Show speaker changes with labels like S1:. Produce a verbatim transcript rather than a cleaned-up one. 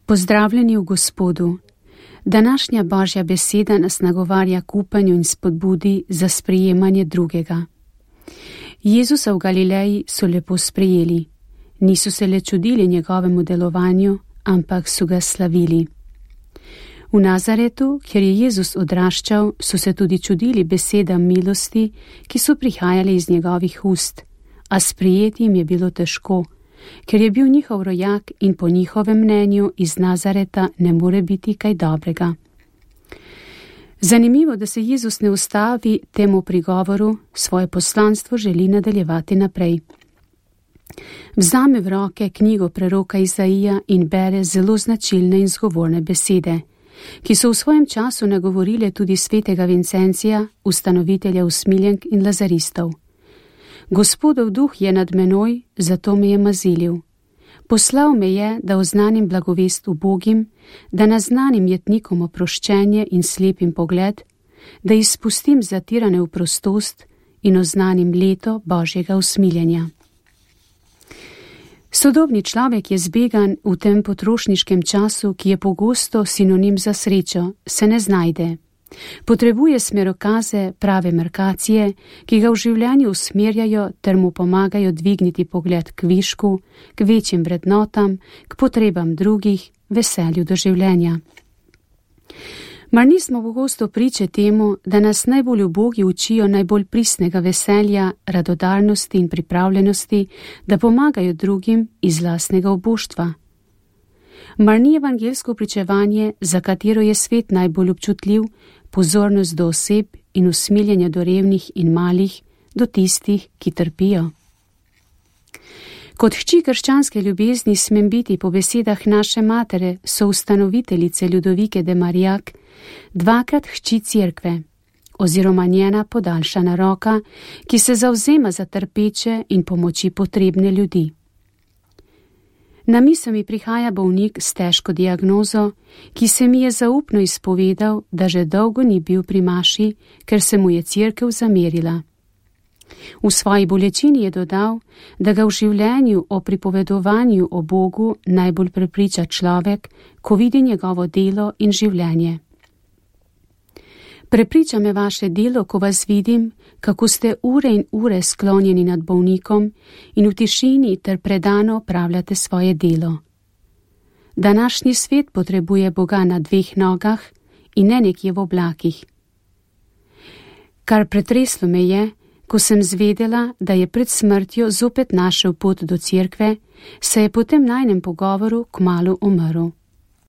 S1: Pozdravljeni v Gospodu. Današnja Božja beseda nas nagovarja k upanju in spodbudi za sprejemanje drugega. Jezusa v Galileji so lepo sprejeli. Niso se le čudili njegovemu delovanju, ampak so ga slavili. V Nazaretu, kjer je Jezus odraščal, so se tudi čudili besedam milosti, ki so prihajale iz njegovih ust, a sprejeti jim je bilo težko, ker je bil njihov rojak in po njihovem mnenju iz Nazareta ne more biti kaj dobrega. Zanimivo, da se Jezus ne ustavi temu prigovoru, svoje poslanstvo želi nadaljevati naprej. Vzame v roke knjigo preroka Izaija in bere zelo značilne in zgovorne besede, ki so v svojem času nagovorile tudi svetega Vincencija, ustanovitelja usmiljenk in lazaristov. Gospodov duh je nad menoj, zato me je mazilil. Poslal me je, da oznanim blagovest ubogim, da naznanim jetnikom oproščenje in slepim pogled, da izpustim zatirane v prostost in oznanim leto Božjega usmiljenja. Sodobni človek je zbegan v tem potrošniškem času, ki je pogosto sinonim za srečo, se ne znajde. Potrebuje smerokaze, prave markacije, ki ga v življenju usmerjajo ter mu pomagajo dvigniti pogled k višku, k večjim vrednotam, k potrebam drugih, veselju do življenja. Mar nismo pogosto priče temu, da nas najbolj ubogi učijo najbolj pristnega veselja, radodarnosti in pripravljenosti, da pomagajo drugim iz lastnega obuštva? Mar ni evangelsko pričevanje, za katero je svet najbolj občutljiv, pozornost do oseb in usmiljenje do revnih in malih, do tistih, ki trpijo? Kot hči krščanske ljubezni smem biti po besedah naše matere, soustanoviteljice Ljudovike de Marijak, dvakrat hči cerkve, oziroma njena podaljšana roka, ki se zavzema za trpeče in pomoči potrebne ljudi. Na misel mi prihaja bolnik s težko diagnozo, ki se mi je zaupno izpovedal, da že dolgo ni bil pri maši, ker se mu je cerkev zamerila. V svoji bolečini je dodal, da ga v življenju o pripovedovanju o Bogu najbolj prepriča človek, ko vidi njegovo delo in življenje. Prepriča me vaše delo, ko vas vidim, kako ste ure in ure sklonjeni nad bolnikom in v tišini ter predano opravljate svoje delo. Današnji svet potrebuje Boga na dveh nogah in ne nekje v oblakih. Kar pretreslo me je, ko sem zvedela, da je pred smrtjo zopet našel pot do cerkve, se je po tem najnem pogovoru kmalu umrl.